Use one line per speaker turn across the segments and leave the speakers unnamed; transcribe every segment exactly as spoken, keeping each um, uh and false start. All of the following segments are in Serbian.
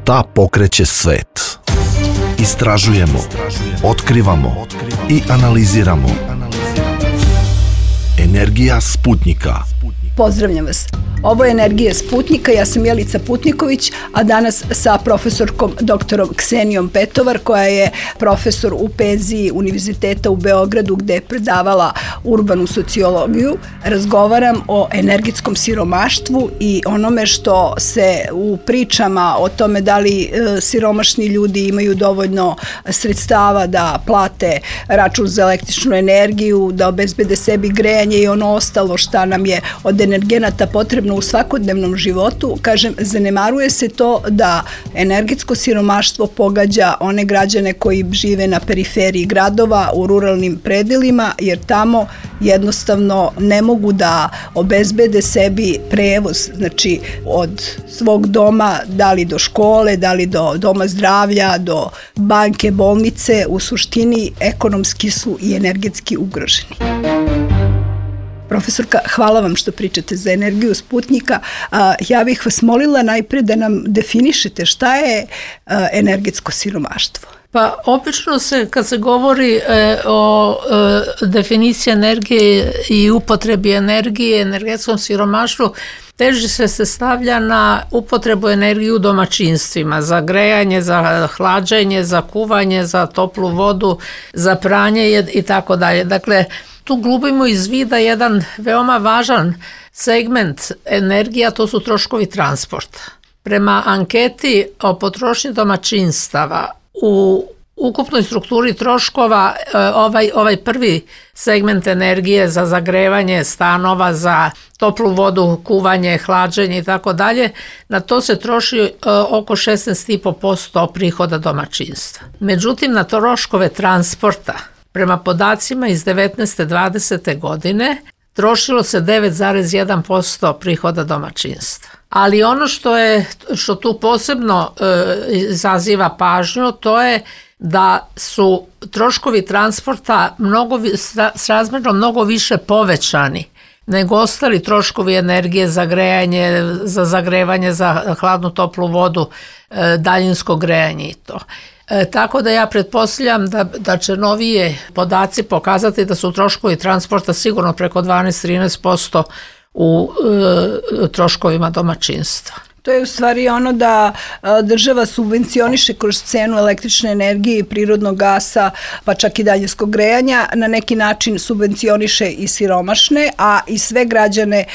Šta pokreće svet? Istražujemo, otkrivamo i analiziramo. Energija Sputnjika.
Pozdravljam vas. Ovo je Energija Sputnjika, ja sam Jelica Putniković, a danas sa profesorkom doktorom Ksenijom Petovar, koja je profesor u penziji Univerziteta u Beogradu, gde je predavala urbanu sociologiju. Razgovaram o energetskom siromaštvu i onome što se u pričama o tome da li e, siromašni ljudi imaju dovoljno sredstava da plate račun za električnu energiju, da obezbede sebi grejanje i ono ostalo šta nam je od energenata potrebno u svakodnevnom životu. Kažem, zanemaruje se to da energetsko siromaštvo pogađa one građane koji žive na periferiji gradova, u ruralnim predelima, jer tamo jednostavno ne mogu da obezbede sebi prevoz, znači od svog doma, da li do škole, da li do doma zdravlja, do banke, bolnice. U suštini ekonomski su i energetski ugroženi. Profesorka, hvala vam što pričate za Energiju Sputnjika. Ja bih vas molila najpre da nam definišete šta je energetsko siromaštvo.
Pa obično se, kad se govori e, o e, definiciji energije i upotrebi energije, energetskom siromaštvu, teži se se stavlja na upotrebu energije u domaćinstvima, za grejanje, za hlađenje, za kuvanje, za toplu vodu, za pranje i tako dalje. Dakle, tu glubimo iz vida jedan veoma važan segment energije, a to su troškovi transporta. Prema anketi o potrošnji domaćinstava u ukupnoj strukturi troškova ovaj, ovaj prvi segment energije za zagrevanje stanova, za toplu vodu, kuvanje, hlađenje i tako dalje, na to se troši oko šesnaest zarez pet posto prihoda domaćinstva. Međutim, na troškove transporta, prema podacima iz devetnaeste dvadesete godine, trošilo se devet zarez jedan posto prihoda domaćinstva. Ali ono što je što tu posebno e, izaziva pažnju, to je da su troškovi transporta mnogo, srazmjerno mnogo više povećani nego ostali troškovi energije za grejanje, za zagrevanje, za hladnu toplu vodu, e, daljinsko grejanje i to. E, tako da ja pretpostavljam da, da će novije podaci pokazati da su troškovi transporta sigurno preko dvanaest do trinaest posto u e, troškovima domaćinstva.
To je u stvari ono da država subvencioniše kroz cenu električne energije i prirodnog gasa, pa čak i daljinskog grejanja, na neki način subvencioniše i siromašne, a i sve građane,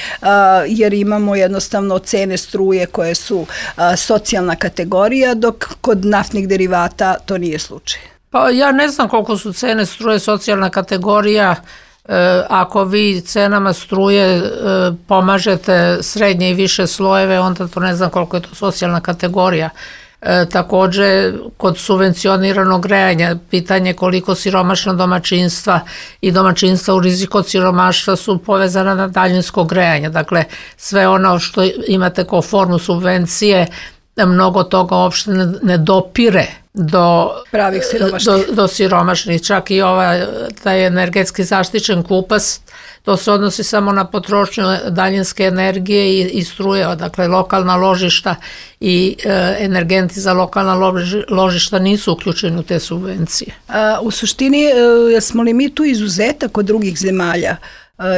jer imamo jednostavno cene struje koje su socijalna kategorija, dok kod naftnih derivata to nije slučaj.
Pa ja ne znam koliko su cene struje socijalna kategorija. Ako vi cenama struje pomažete srednje i više slojeve, onda to ne znam koliko je to socijalna kategorija. E, također, kod subvencioniranog grejanja, pitanje koliko siromašna domaćinstva i domaćinstva u riziku od siromaštva su povezana na daljinsko grejanje. Dakle, sve ono što imate kao formu subvencije, mnogo toga uopšte ne, ne dopire do
pravih siromašnih.
Do, do siromašnih. Čak i ovaj, taj energetski zaštićen kupac, to se odnosi samo na potrošnju daljinske energije i, i struje, dakle lokalna ložišta i e, energenti za lokalna loži, ložišta nisu uključeni u te subvencije.
A, u suštini, e, smo li mi tu izuzetak od drugih zemalja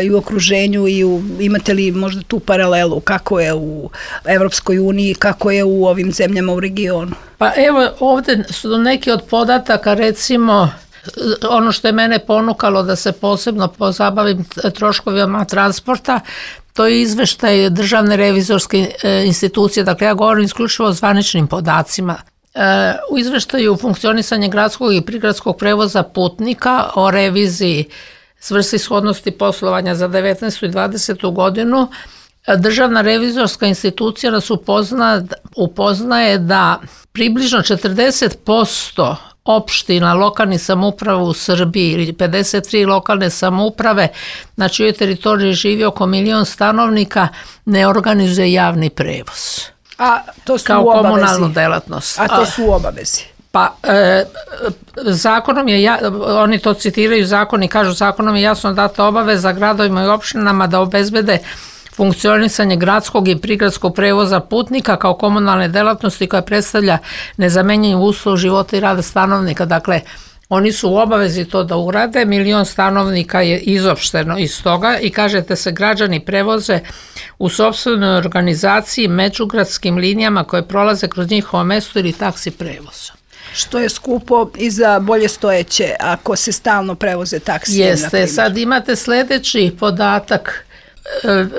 i u okruženju i u, imate li možda tu paralelu kako je u Evropskoj uniji, kako je u ovim zemljama u regionu?
Pa evo, ovdje su neki od podataka, recimo ono što je mene ponukalo da se posebno pozabavim troškovima transporta, to je izveštaj Državne revizorske institucije, dakle ja govorim isključivo o zvaničnim podacima. U izveštaju funkcionisanje gradskog i prigradskog prevoza putnika o reviziji svrsishodnosti poslovanja za devetnaestu i dvadesetu godinu, Državna revizorska institucija nas upozna, upoznaje da približno četrdeset posto opština lokalnih samouprava u Srbiji ili pedeset tri lokalne samouprave na čijoj teritoriji živi oko milion stanovnika ne organizuje javni prevoz.
A to su
kao
u obavezi.
Komunalnu delatnost.
A to su u obavezi.
Pa e, zakonom je, ja, oni to citiraju zakon i kažu zakonom je jasno data obaveza gradovima i opštinama da obezbede funkcionisanje gradskog i prigradskog prevoza putnika kao komunalne delatnosti koja predstavlja nezamenjiv uslov života i rada stanovnika. Dakle, oni su u obavezi to da urade, milion stanovnika je izopšteno iz toga i kažete se građani prevoze u sopstvenoj organizaciji međugradskim linijama koje prolaze kroz njihovo mesto ili taksi prevoza.
Što je skupo i za bolje stojeće ako se stalno prevoze taksijem.
Jeste, sad imate sljedeći podatak.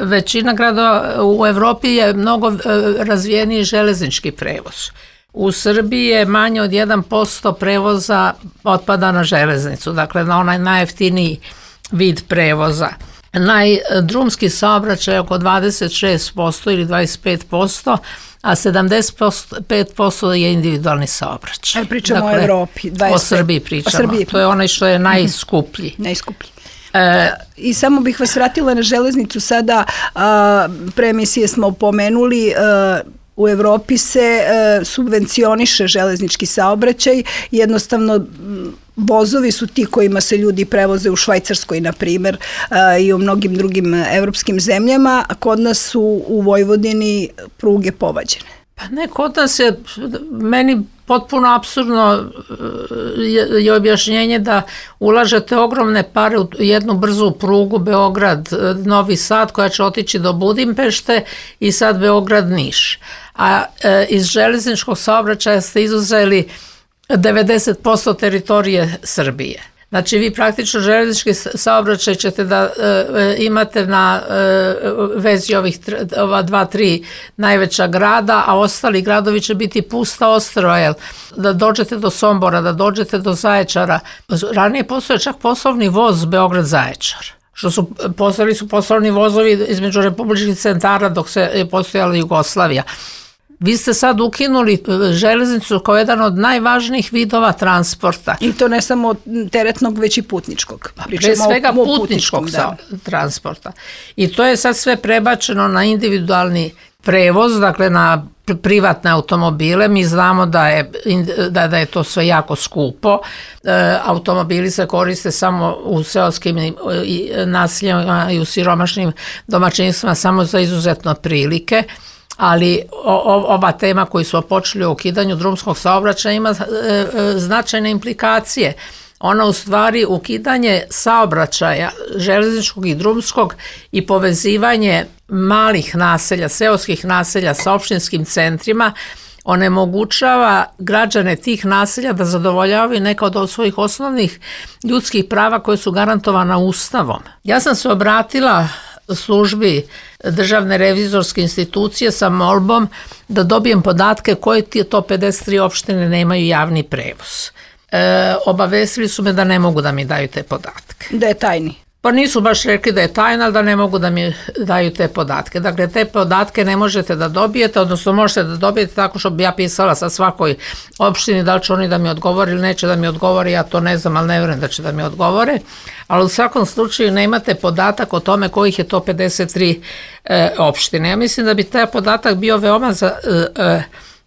Većina gradova u Evropi je mnogo razvijeniji železnički prevoz. U Srbiji je manje od jedan posto prevoza otpada na železnicu, dakle na onaj najjeftiniji vid prevoza. Najdrumski saobraćaj je oko dvadeset šest posto ili dvadeset pet posto, a sedamdeset pet posto je individualni saobraćaj.
Pričamo
dakle,
o Evropi. dvadeset pet.
O Srbiji pričamo.
O Srbiji.
To je onaj što je najskuplji.
Najskuplji. E, I samo bih vas vratila na železnicu sada, a, pre emisije smo pomenuli, a, u Evropi se a, subvencioniše železnički saobraćaj, jednostavno vozovi su ti kojima se ljudi prevoze u Švajcarskoj, na primjer, i u mnogim drugim evropskim zemljama, a kod nas su u Vojvodini pruge povađene.
Pa ne, kod nas je, meni potpuno apsurdno je, je objašnjenje da ulažete ogromne pare u jednu brzu prugu Beograd-Novi Sad koja će otići do Budimpešte i sad Beograd-Niš. A e, iz železničkog saobraćaja ste izuzeli devedeset posto teritorije Srbije. Znači vi praktično železnički saobraćaj ćete da e, imate na e, vezi ovih ova dva, tri najveća grada, a ostali gradovi će biti pusta ostrva, jel? Da dođete do Sombora, da dođete do Zaječara. Ranije postoje čak poslovni voz Beograd-Zaječar. Što su postojali su poslovni vozovi između republičkih centara dok se je postojala Jugoslavija. Vi ste sad ukinuli železnicu kao jedan od najvažnijih vidova transporta.
I to ne samo teretnog, već i putničkog.
Pre svega putničkog da. transporta. I to je sad sve prebačeno na individualni prevoz, dakle na privatne automobile. Mi znamo da je, da, da je to sve jako skupo. E, automobili se koriste samo u seoskim naseljima i u siromašnim domaćinstvima samo za izuzetno prilike. Ali o, ova tema koju smo počeli o ukidanju drumskog saobraćaja ima e, e, značajne implikacije. Ona u stvari ukidanje saobraćaja železničkog i drumskog i povezivanje malih naselja, seoskih naselja sa opštinskim centrima onemogućava građane tih naselja da zadovoljavaju neka od svojih osnovnih ljudskih prava koje su garantovana Ustavom. Ja sam se obratila službi Državne revizorske institucije sa molbom da dobijem podatke koje ti to pedeset tri opštine nemaju javni prevoz. E, obavestili su me da ne mogu da mi daju te podatke.
Da je tajni.
Pa nisu baš rekli da je tajna, ali da ne mogu da mi daju te podatke. Dakle, te podatke ne možete da dobijete, odnosno možete da dobijete tako što bi ja pisala sa svakoj opštini, da li će oni da mi odgovore ili neće da mi odgovore, ja to ne znam, ali ne vjerujem da će da mi odgovore. Ali u svakom slučaju ne imate podatak o tome kojih je to pedeset tri e, opštine. Ja mislim da bi taj podatak bio veoma za, e, e,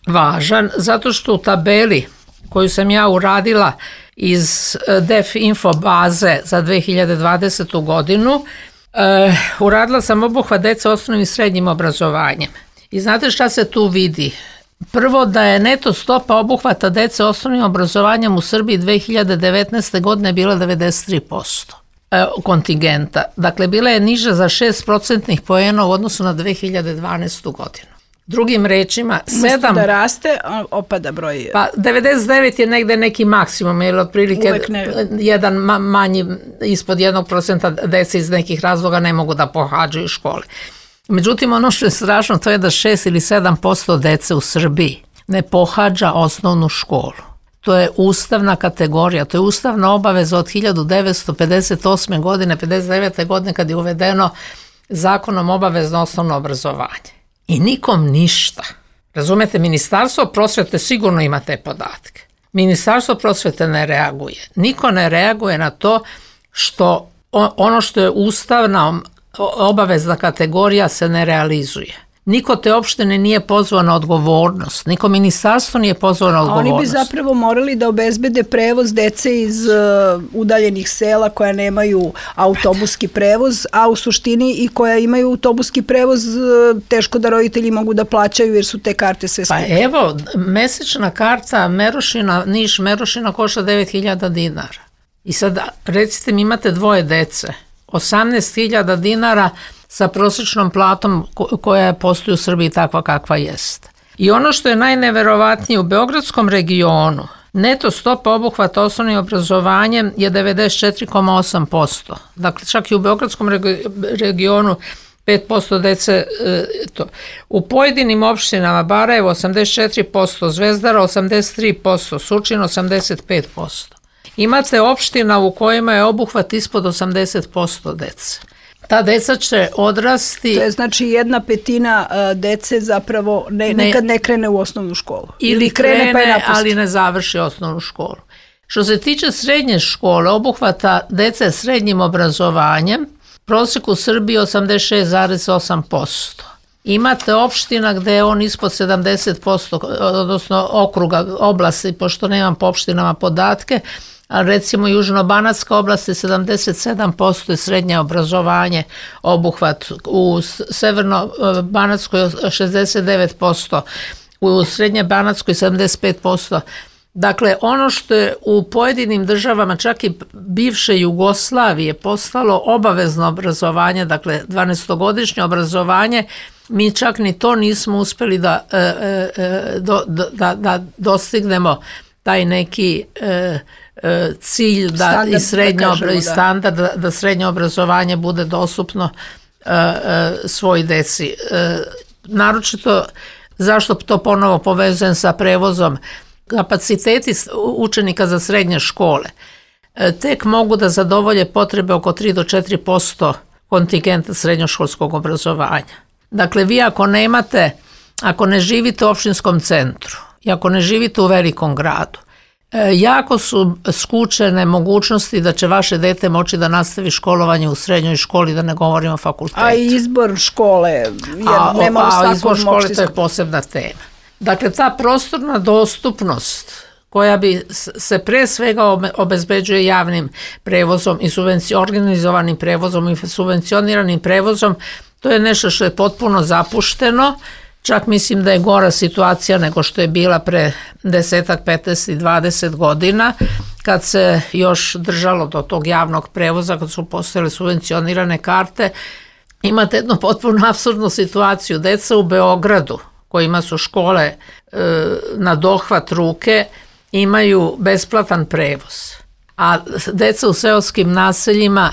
važan, zato što u tabeli koju sam ja uradila iz Def Info baze za dve hiljade dvadesetu godinu, e, uradila sam obuhvat dece osnovnim i srednjim obrazovanjem. I znate šta se tu vidi? Prvo da je neto stopa obuhvata dece osnovnim obrazovanjem u Srbiji dve hiljade devetnaeste. godine bila devedeset tri posto e, kontingenta. Dakle, bila je niža za šest procentnih poena u odnosu na dve hiljade dvanaestu. godinu. Drugim rečima, sedam...
da raste, opada broj...
Pa devedeset devet je negde neki maksimum, jer otprilike jedan manji, ispod jednog procenta dece iz nekih razloga ne mogu da pohađaju škole. Međutim, ono što je strašno, to je da šest ili sedam posto dece u Srbiji ne pohađa osnovnu školu. To je ustavna kategorija, to je ustavna obaveza od hiljadu devetsto pedeset osme. godine, pedeset devete. godine kad je uvedeno zakonom obavezno osnovno obrazovanje. I nikom ništa. Razumete, Ministarstvo prosvete sigurno ima te podatke. Ministarstvo prosvete ne reaguje. Niko ne reaguje na to što ono što je ustavna obavezna kategorija se ne realizuje. Niko te opštine nije pozvao na odgovornost, niko ministarstvo nije pozvao na odgovornost.
Oni bi zapravo morali da obezbede prevoz dece iz uh, udaljenih sela koja nemaju autobuski prevoz, a u suštini i koja imaju autobuski prevoz uh, teško da roditelji mogu da plaćaju jer su te karte sve skupe.
Pa evo, mesečna karta Merošina, Niš Merošina košta devet hiljada dinara. I sad recite mi imate dvoje dece, osamnaest hiljada dinara sa prosječnom platom koja postoji u Srbiji takva kakva jest. I ono što je najneverovatnije, u Beogradskom regionu neto stopa obuhvata osnovnim obrazovanjem je devedeset četiri zarez osam posto. Dakle, čak i u Beogradskom regionu pet posto dece to. U pojedinim opštinama Barajevo osamdeset četiri posto, Zvezdara osamdeset tri posto, Surčin osamdeset pet posto. Imate opština u kojima je obuhvat ispod osamdeset posto dece. Ta deca će odrasti...
To je znači jedna petina uh, dece zapravo ne, ne, nekad ne krene u osnovnu školu.
Ili, ili krene, krene pa je napusti. Ali ne završi osnovnu školu. Što se tiče srednje škole, obuhvata dece srednjim obrazovanjem, prosjek u Srbiji osamdeset šest zarez osam posto. Imate opština gde je on ispod sedamdeset posto, odnosno okruga oblasti, pošto nemam po opštinama podatke, a recimo Južno-banatska oblast je sedamdeset sedam posto je srednje obrazovanje obuhvat, u Severno-banatskoj šezdeset devet posto, u Srednje-banatskoj sedamdeset pet posto. Dakle, ono što je u pojedinim državama, čak i bivše Jugoslavije, postalo obavezno obrazovanje, dakle dvanaestogodišnje obrazovanje, mi čak ni to nismo uspeli da, da, da, da dostignemo taj neki cilj da standard, i srednje da kažemo, i standard da, da srednje obrazovanje bude dostupno uh, uh, svoj deci. Uh, naročito, zašto to ponovo povezujem sa prevozom, kapaciteti učenika za srednje škole uh, tek mogu da zadovolje potrebe oko tri do četiri posto kontingenta srednjoškolskog obrazovanja. Dakle, vi ako nemate, ako ne živite u opštinskom centru i ako ne živite u velikom gradu, jako su skučene mogućnosti da će vaše dete moći da nastavi školovanje u srednjoj školi, da ne govorimo o fakultetu.
A i izbor škole, jer
a,
nema u svakom
a izbor škole
opštinskom.
To je posebna tema. Dakle, ta prostorna dostupnost koja bi se pre svega obezbeđuje javnim prevozom i organizovanim prevozom i subvencioniranim prevozom, to je nešto što je potpuno zapušteno. Čak mislim da je gora situacija nego što je bila pre desetak, petnaest i dvadeset godina, kad se još držalo do tog javnog prevoza, kad su postojale subvencionirane karte. Imate jednu potpuno apsurdnu situaciju. Deca u Beogradu, kojima su škole e, na dohvat ruke, imaju besplatan prevoz. A deca u seoskim naseljima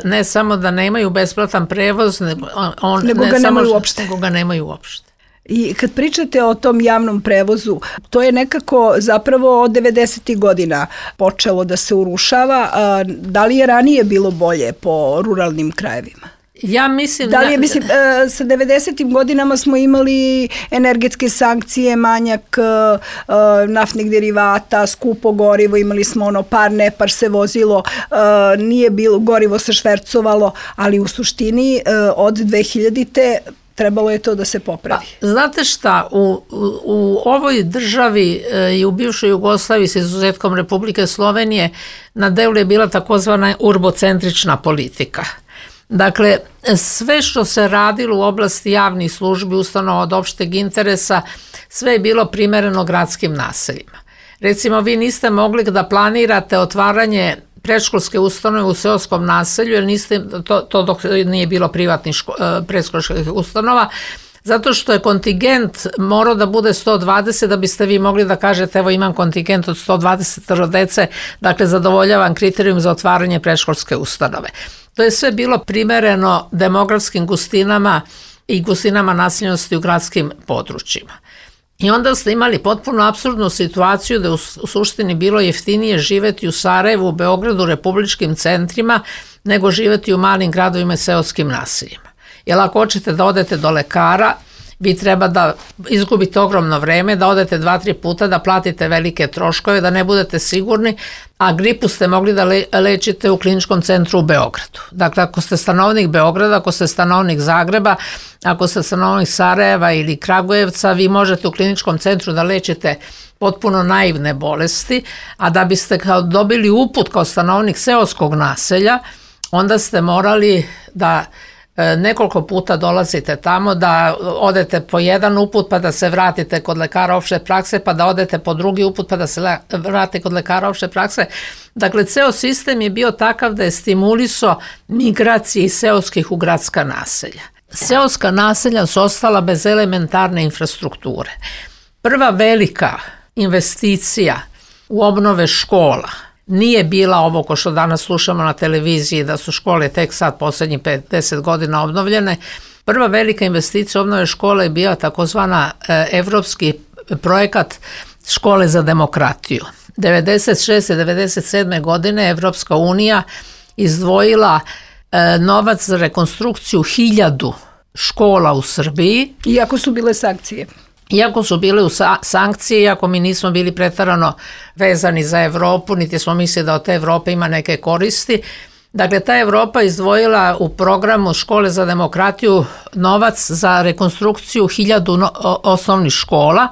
ne samo da nemaju besplatan prevoz, nego, on,
nego
ne
ga
samo,
nemaju uopšte.
Nego ga nemaju uopšte.
I kad pričate o tom javnom prevozu, to je nekako zapravo od devedesetih godina počelo da se urušava. Da li je ranije bilo bolje po ruralnim krajevima?
Ja mislim
da li je, mislim, sa devedesetim godinama smo imali energetske sankcije, manjak naftnih derivata, skupo gorivo, imali smo ono par nepar se vozilo, nije bilo, gorivo se švercovalo, ali u suštini od dve hiljadite trebalo je to da se popravi.
Pa, znate šta, u, u, u ovoj državi i u bivšoj Jugoslaviji sa izuzetkom Republike Slovenije na delu je bila takozvana urbocentrična politika. Dakle, sve što se radilo u oblasti javnih službi, ustanova od opšteg interesa, sve je bilo primereno gradskim naseljima. Recimo, vi niste mogli da planirate otvaranje predškolske ustanove u seoskom naselju, jer niste, to, to dok nije bilo privatnih ško, predškolskih ustanova, zato što je kontingent morao da bude sto dvadeset da biste vi mogli da kažete evo imam kontingent od sto dvadeset dece, dakle zadovoljavam kriterijum za otvaranje predškolske ustanove. To je sve bilo primereno demografskim gustinama i gustinama naseljenosti u gradskim područjima. I onda ste imali potpuno apsurdnu situaciju da je u suštini bilo jeftinije živeti u Sarajevu, u Beogradu, republičkim centrima, nego živeti u malim gradovima i seoskim naseljima. Jer ako hoćete da odete do lekara vi treba da izgubite ogromno vreme, da odete dva, tri puta, da platite velike troškove, da ne budete sigurni, a gripu ste mogli da le, lečite u kliničkom centru u Beogradu. Dakle, ako ste stanovnik Beograda, ako ste stanovnik Zagreba, ako ste stanovnik Sarajeva ili Kragujevca, vi možete u kliničkom centru da lečite potpuno naivne bolesti, a da biste kao dobili uput kao stanovnik seoskog naselja, onda ste morali da nekoliko puta dolazite tamo, da odete po jedan uput pa da se vratite kod lekara opšte prakse, pa da odete po drugi uput pa da se vratite kod lekara opšte prakse. Dakle, ceo sistem je bio takav da je stimulisao migracije iz seoskih u gradska naselja. Seoska naselja su ostala bez elementarne infrastrukture. Prva velika investicija u obnove škola nije bila ovo ko što danas slušamo na televiziji da su škole tek sad poslednjih pedeset godina obnovljene. Prva velika investicija obnove škole je bila takozvana evropski projekat škole za demokratiju. devedeset šeste devedeset sedme godine Evropska unija izdvojila novac za rekonstrukciju hiljadu škola u Srbiji.
Iako su bile sankcije.
Iako su bile u sankcije, iako mi nismo bili pretarano vezani za Evropu, niti smo mislili da od te Evrope ima neke koristi. Dakle, ta Evropa izdvojila u programu Škole za demokratiju novac za rekonstrukciju hiljadu osnovnih škola.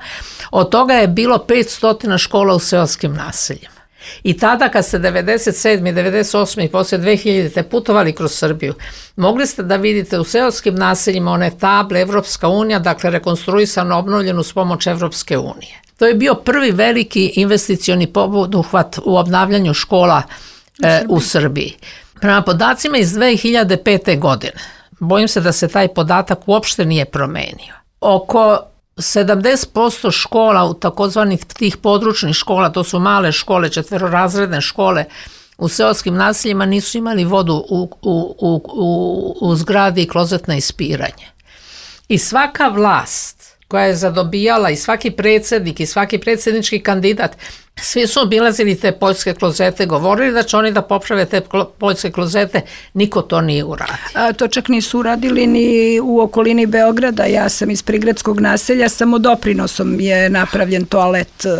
Od toga je bilo petsto škola u seoskim naseljima. I tada kad ste devedeset sedme devedeset osme i posle dve hiljadite putovali kroz Srbiju, mogli ste da vidite u seoskim naseljima one table Evropska unija, dakle rekonstruisano, obnovljeno s pomoć Evropske unije. To je bio prvi veliki investicioni poduhvat u obnavljanju škola e, u Srbiji. Prema podacima iz dve hiljade pete godine, bojim se da se taj podatak uopšte nije promenio. Oko sedamdeset posto škola u takozvanih tih područnih škola, to su male škole, četverorazredne škole u seoskim naseljima, nisu imali vodu u, u, u, u, u zgradi i klozetno ispiranje. I svaka vlast koja je zadobijala, i svaki predsjednik i svaki predsjednički kandidat, svi su obilazili te poljske klozete, govorili da će oni da poprave te poljske klozete, niko to nije uradio.
A, to čak nisu uradili ni u okolini Beograda. Ja sam iz prigradskog naselja, samo doprinosom je napravljen toalet uh,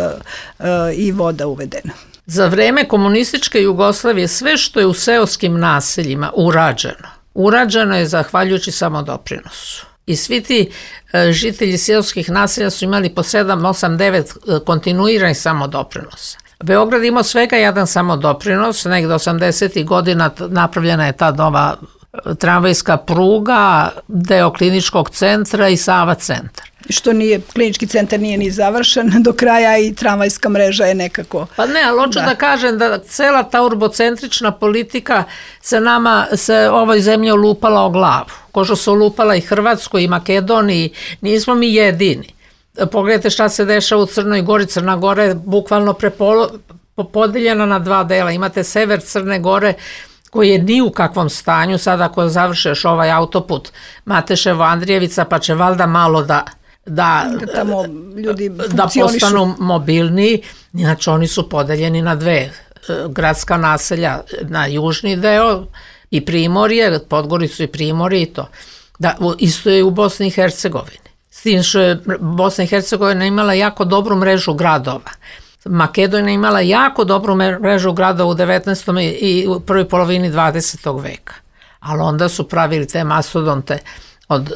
uh, i voda uvedena.
Za vreme komunističke Jugoslavije sve što je u seoskim naseljima urađeno, urađeno je zahvaljujući samo doprinosu. I svi ti e, žitelji seoskih naselja su imali po sedam, osam, devet kontinuiranih samodoprinosa. Beograd imao svega jedan samodoprinos, negde osamdesetih godina napravljena je ta nova tramvajska pruga, deo kliničkog centra i Sava centar.
Što nije, klinički centar nije ni završen do kraja i tramvajska mreža je nekako...
Pa ne, ali hoću da. da kažem da cela ta urbocentrična politika se nama, se ovoj zemlji olupala o glavu. Ko što se olupala i Hrvatskoj i Makedoniji, nismo mi jedini. Pogledajte šta se dešava u Crnoj Gori. Crna Gora je bukvalno prepolo, podeljena na dva dela. Imate sever Crne Gore, koji je ni u kakvom stanju. Sad ako završeš ovaj autoput Mateševo-Andrijevica, pa će valjda malo da da,
da, tamo ljudi
da postanu mobilniji. Znači oni su podeljeni na dve gradska naselja, na južni deo i Primorje, Podgoricu i Primorje i to. Da, isto je u Bosni i Hercegovini. S tim što je Bosna i Hercegovina imala jako dobru mrežu gradova. Makedonija imala jako dobru mrežu gradova u devetnaestom i u prvoj polovini dvadesetog veka. Ali onda su pravili te mastodonte od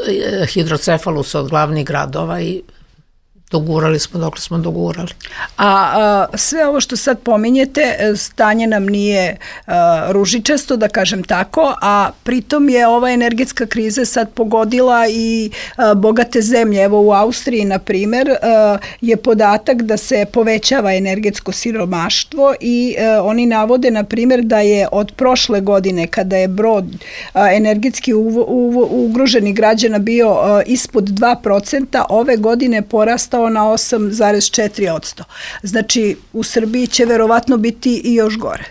hidrocefalusa od glavnih gradova i dogurali smo dok smo dogurali.
A, a sve ovo što sad pominjete, stanje nam nije a, ružičasto, da kažem tako, a pritom je ova energetska kriza sad pogodila i a, bogate zemlje. Evo u Austriji, na primer, a, je podatak da se povećava energetsko siromaštvo i a, oni navode, na primer, da je od prošle godine, kada je broj a, energetski uvo, uvo, ugroženih građana bio a, ispod dva procenta, ove godine porastao na osam zarez četiri posto. Znači, u Srbiji će verovatno biti i još gore.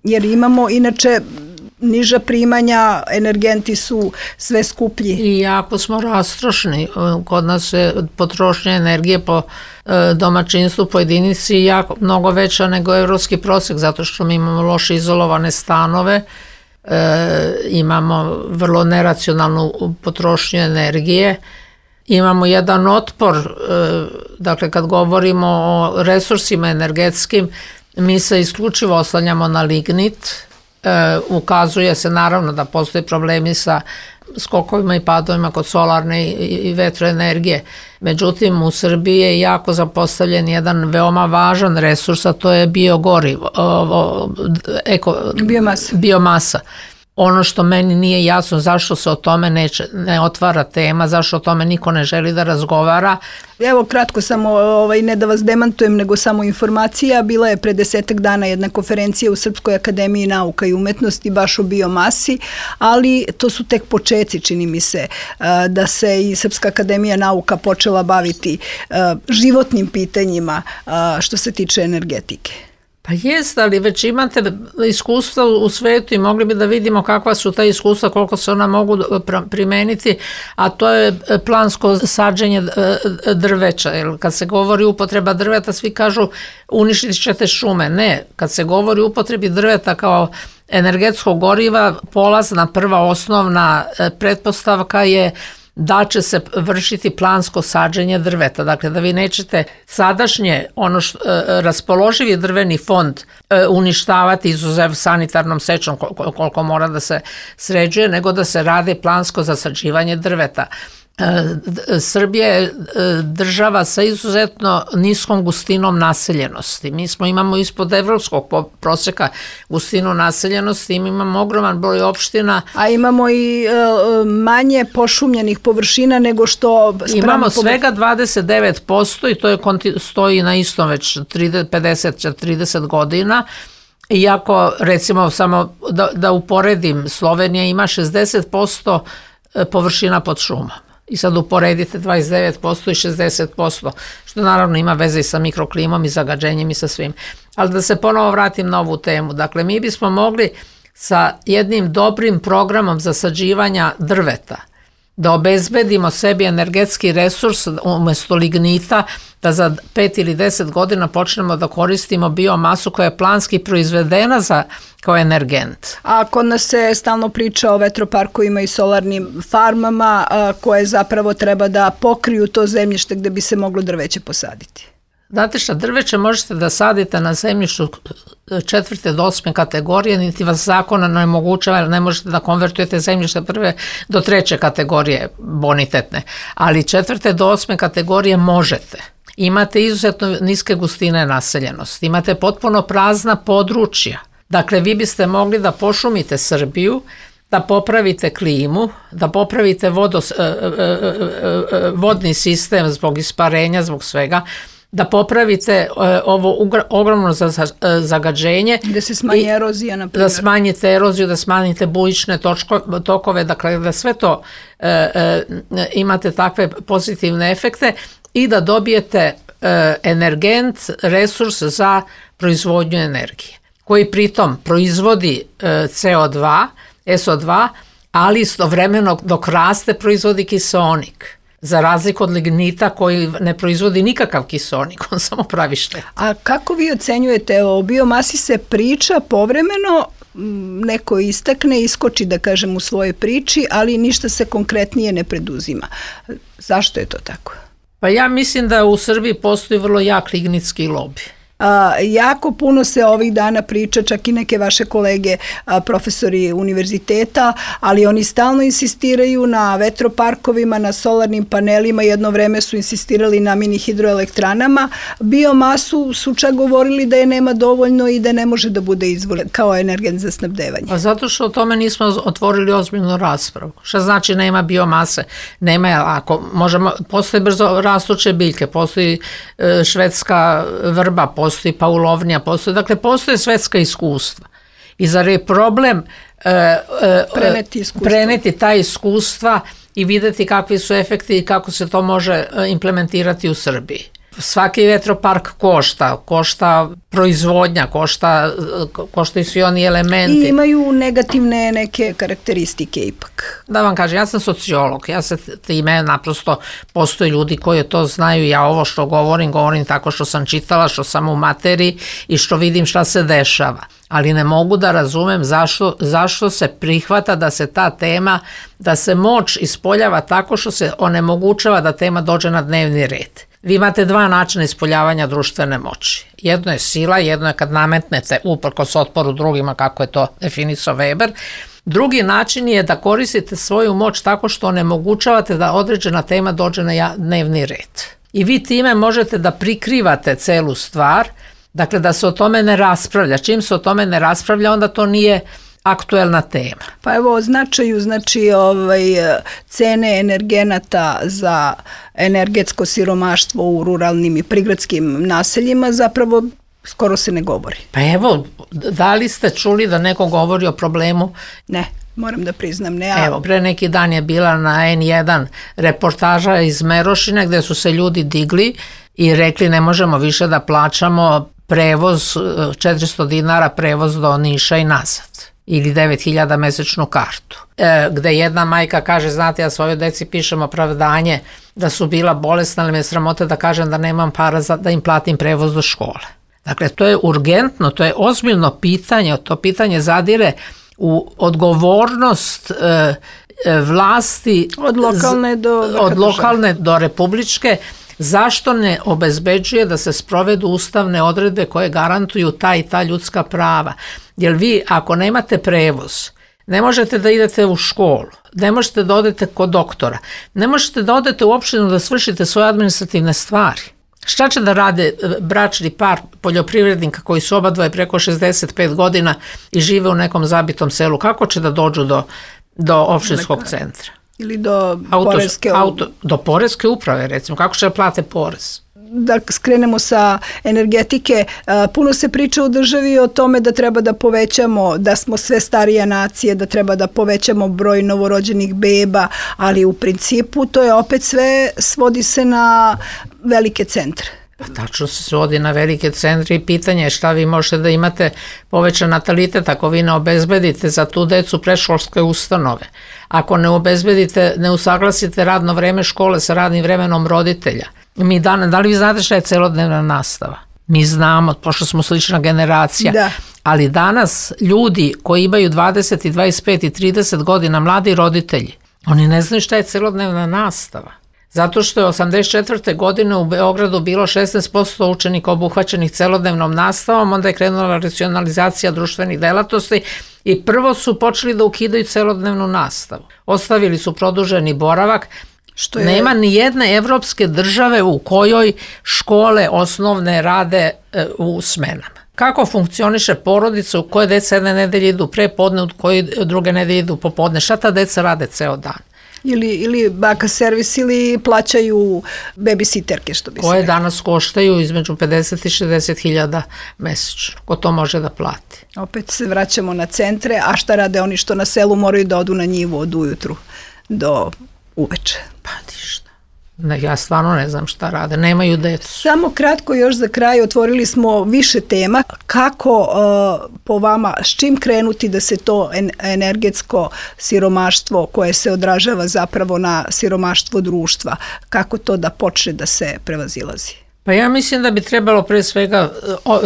Jer imamo, inače, niža primanja, energenti su sve skuplji.
I jako smo rastrošni. Kod nas je potrošnja energije po domaćinstvu po jedinici jako mnogo veća nego evropski prosek, zato što mi imamo loše izolovane stanove, e, imamo vrlo neracionalnu potrošnju energije imamo jedan otpor, dakle kad govorimo o resursima energetskim, mi se isključivo oslanjamo na lignit, ukazuje se naravno da postoje problemi sa skokovima i padovima kod solarne i vetroenergije. Međutim, u Srbiji je jako zapostavljen jedan veoma važan resurs, a to je biogorivo, eko,
biomasa.
biomasa. Ono što meni nije jasno, zašto se o tome neće, ne otvara tema, zašto o tome niko ne želi da razgovara.
Evo kratko samo, ovaj, ne da vas demantujem, nego samo informacija. Bila je pre desetak dana jedna konferencija u Srpskoj akademiji nauka i umetnosti baš o biomasi, ali to su tek počeci, čini mi se, da se i Srpska akademija nauka počela baviti životnim pitanjima što se tiče energetike.
Pa jest, ali već imate iskustva u svetu i mogli bi da vidimo kakva su ta iskustva, koliko se ona mogu primeniti, a to je plansko sađenje drveća. Jer kad se govori upotreba drveta, svi kažu uništit ćete šume. Ne, kad se govori upotrebi drveta kao energetskog goriva, polazna prva osnovna pretpostavka je da će se vršiti plansko sađenje drveta. Dakle, da vi nećete sadašnje ono što, raspoloživi drveni fond uništavati izuzev sanitarnom sečom koliko mora da se sređuje, nego da se radi plansko zasađivanje drveta. Srbija je država sa izuzetno niskom gustinom naseljenosti. Mi smo imamo ispod evropskog prosjeka gustinu naseljenosti, imamo ogroman broj opština.
A imamo i manje pošumljenih površina nego što...
Imamo svega dvadeset devet posto i to je, stoji na istom već pedeset do trideset godina. Iako, recimo, samo da, da uporedim, Slovenija ima šezdeset posto površina pod šumom. I sad uporedite dvadeset devet posto i šezdeset posto, što naravno ima veze i sa mikroklimom i zagađenjem i sa svim. Ali da se ponovo vratim na ovu temu. Dakle, mi bismo mogli sa jednim dobrim programom zasađivanja drveta da obezbedimo sebi energetski resurs umjesto lignita, da za pet ili deset godina počnemo da koristimo biomasu koja je planski proizvedena za, kao energent.
A kod nas se stalno priča o vetroparkovima i solarnim farmama koje zapravo treba da pokriju to zemljište gde bi se moglo drveće posaditi.
Znate šta, drveće možete da sadite na zemljištu četvrte do osme kategorije, niti vas zakona ne omogućava, jer ne možete da konvertujete zemljište prve do treće kategorije bonitetne, ali četvrte do osme kategorije možete. Imate izuzetno niske gustine naseljenosti, imate potpuno prazna područja. Dakle, vi biste mogli da pošumite Srbiju, da popravite klimu, da popravite vodos, vodni sistem zbog isparenja, zbog svega, da popravite ovo ogromno zagađenje.
Da se smanji erozija, na primjer.
Da smanjite eroziju, da smanjite bujične tokove, dakle da sve to e, e, imate takve pozitivne efekte i da dobijete e, energent, resurs za proizvodnju energije, koji pritom proizvodi e, ce o dva, es o dva, ali istovremeno dok raste proizvodi kiseonik. Za razliku od lignita koji ne proizvodi nikakav kiseonik, on samo pravi štetu.
A kako vi ocenjujete, o biomasi se priča povremeno, neko istakne, iskoči da kažem u svojoj priči, ali ništa se konkretnije ne preduzima. Zašto je to tako?
Pa ja mislim da u Srbiji postoji vrlo jak lignitski lobi.
A, jako puno se ovih dana priča, čak i neke vaše kolege a, profesori univerziteta, ali oni stalno insistiraju na vetroparkovima, na solarnim panelima, jedno vreme su insistirali na mini hidroelektranama. Biomasu su čak govorili da je nema dovoljno i da ne može da bude izvor kao energent za snabdevanje.
Pa zato što o tome nismo otvorili ozbiljnu raspravu. Šta znači nema biomase? Nema, ako možemo, postoje brzo rastuće biljke, postoji e, švedska vrba, postoji postoji paulovnija, postoji, dakle postoje svetska iskustva. I zar je problem e, e,
preneti,
preneti ta iskustva i videti kakvi su efekti i kako se to može implementirati u Srbiji. Svaki vetropark košta, košta proizvodnja, košta, koštaju svi oni elementi.
I imaju negativne neke karakteristike ipak.
Da vam kažem, ja sam sociolog, ja se time naprosto, postoje ljudi koji to znaju, ja ovo što govorim, govorim tako što sam čitala, što sam u materiji i što vidim šta se dešava. ali ne mogu da razumem zašto, zašto se prihvata da se ta tema, da se moć ispoljava tako što se onemogućava da tema dođe na dnevni red. Vi imate dva načina ispoljavanja društvene moći. Jedno je sila, jedno je kad nametnete uprkos otporu drugima, kako je to definisao Weber. Drugi način je da koristite svoju moć tako što onemogućavate da određena tema dođe na dnevni red. I vi time možete da prikrivate celu stvar, dakle da se o tome ne raspravlja. Čim se o tome ne raspravlja, onda to nije aktuelna tema.
Pa evo o značaju, znači ovaj, cene energenata za energetsko siromaštvo u ruralnim i prigradskim naseljima zapravo skoro se ne govori.
Pa evo, da li ste čuli da neko govori o problemu?
Ne, moram da priznam, ne. A...
Evo, pre neki dan je bila na en jedan reportaža iz Merošine gde su se ljudi digli i rekli ne možemo više da plaćamo prevoz, četiristo dinara prevoz do Niša i nazad. Ili devet hiljada mesečnu kartu. E, gde jedna majka kaže, znate, ja svojoj deci pišem opravdanje da su bila bolesna, ali me je sramota da kažem da nemam para za, da im platim prevoz do škole. Dakle, to je urgentno, to je ozbiljno pitanje, to pitanje zadire u odgovornost e, e, vlasti
od lokalne do,
od lokalne do republičke. Zašto ne obezbeđuje da se sprovedu ustavne odredbe koje garantuju ta i ta ljudska prava? Jer vi ako nemate prevoz, ne možete da idete u školu, ne možete da odete kod doktora, ne možete da odete u opštinu da svršite svoje administrativne stvari. Šta će da rade bračni par poljoprivrednika koji su oba dvoje preko šezdeset pet godina i žive u nekom zabitom selu? Kako će da dođu do, do opštinskog centra?
Ili do
auto,
poreske
auto, do poreske uprave, recimo, kako će da plate porez?
Da skrenemo sa energetike, puno se priča u državi o tome da treba da povećamo, da smo sve starija nacije, da treba da povećamo broj novorođenih beba, ali u principu to je opet sve, svodi se na velike centre.
Pa tačno se svodi na velike centre i pitanje je šta vi možete da imate povećan natalitet ako vi ne obezbedite za tu decu predškolske ustanove. Ako ne obezbedite, ne usaglasite radno vreme škole sa radnim vremenom roditelja. Mi dan, da li vi znate šta je celodnevna nastava? Mi znamo, pošto smo slična generacija,
da.
Ali danas ljudi koji imaju dvadeset, dvadeset pet i trideset godina, mladi roditelji, oni ne znaju šta je celodnevna nastava. Zato što je osamdeset četvrte godine u Beogradu bilo šesnaest posto učenika obuhvaćenih celodnevnom nastavom, onda je krenula racionalizacija društvenih delatnosti i prvo su počeli da ukidaju celodnevnu nastavu. Ostavili su produženi boravak. Što je... Nema ni jedne evropske države u kojoj škole osnovne rade e, u smenama. Kako funkcioniše porodica u koje deca jedne nedelje idu pre podne, u koje druge nedelje idu popodne? Šta ta deca rade ceo dan?
Ili, ili baka servis ili plaćaju babysitterke, što bi se
koje
rekao.
Danas koštaju između pedeset i šezdeset hiljada mesečno. Ko to može da plati?
Opet se vraćamo na centre, a šta rade oni što na selu moraju da odu na njivu od ujutru do uveče?
Pa ništa. Ne, ja stvarno ne znam šta rade, nemaju decu.
Samo kratko još za kraj, otvorili smo više tema. Kako uh, po vama, s čim krenuti da se to en, energetsko siromaštvo koje se odražava zapravo na siromaštvo društva, kako to da počne da se prevazilazi?
Pa ja mislim da bi trebalo pre svega o, o,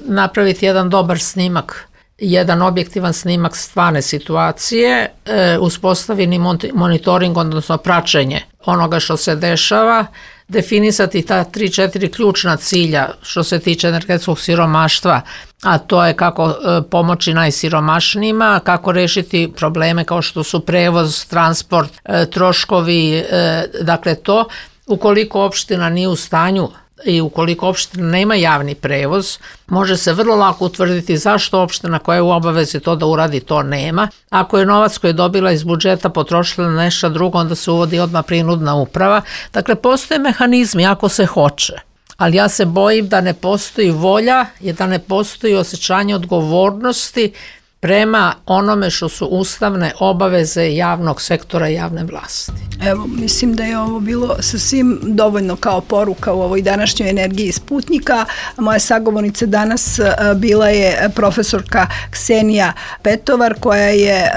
napraviti jedan dobar snimak, jedan objektivan snimak stvarne situacije, e, uspostavljeni monitoring, odnosno praćenje onoga što se dešava, definisati ta tri, četiri ključna cilja što se tiče energetskog siromaštva, a to je kako e, pomoći najsiromašnijima, kako rešiti probleme kao što su prevoz, transport, e, troškovi, e, dakle to, ukoliko opština nije u stanju i ukoliko opština nema javni prevoz, može se vrlo lako utvrditi zašto opština koja je u obavezi to da uradi to nema. Ako je novac koji je dobila iz budžeta potrošila na nešto drugo, onda se uvodi odmah prinudna uprava. Dakle, postoje mehanizmi ako se hoće, ali ja se bojim da ne postoji volja i da ne postoji osjećanje odgovornosti prema onome što su ustavne obaveze javnog sektora i javne vlasti.
Evo, mislim da je ovo bilo sasvim dovoljno kao poruka u ovoj današnjoj energiji Sputnika. Moja sagovornica danas bila je profesorka Ksenija Petovar, koja je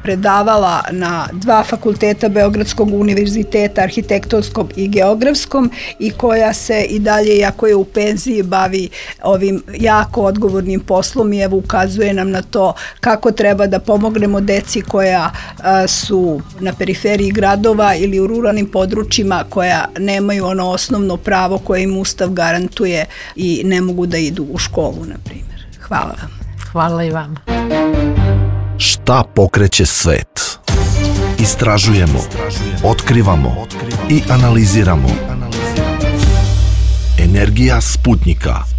predavala na dva fakulteta Beogradskog univerziteta, arhitektonskom i geografskom, i koja se i dalje, iako je u penziji, bavi ovim jako odgovornim poslom i evo ukazuje nam na to kako treba da pomognemo deci koja su na periferiji gradova ili u ruralnim područjima, koja nemaju ono osnovno pravo koje im Ustav garantuje i ne mogu da idu u školu, na primjer. Hvala vam.
Hvala i vama.
Šta pokreće svet? Istražujemo, otkrivamo i analiziramo. Energija Sputnika.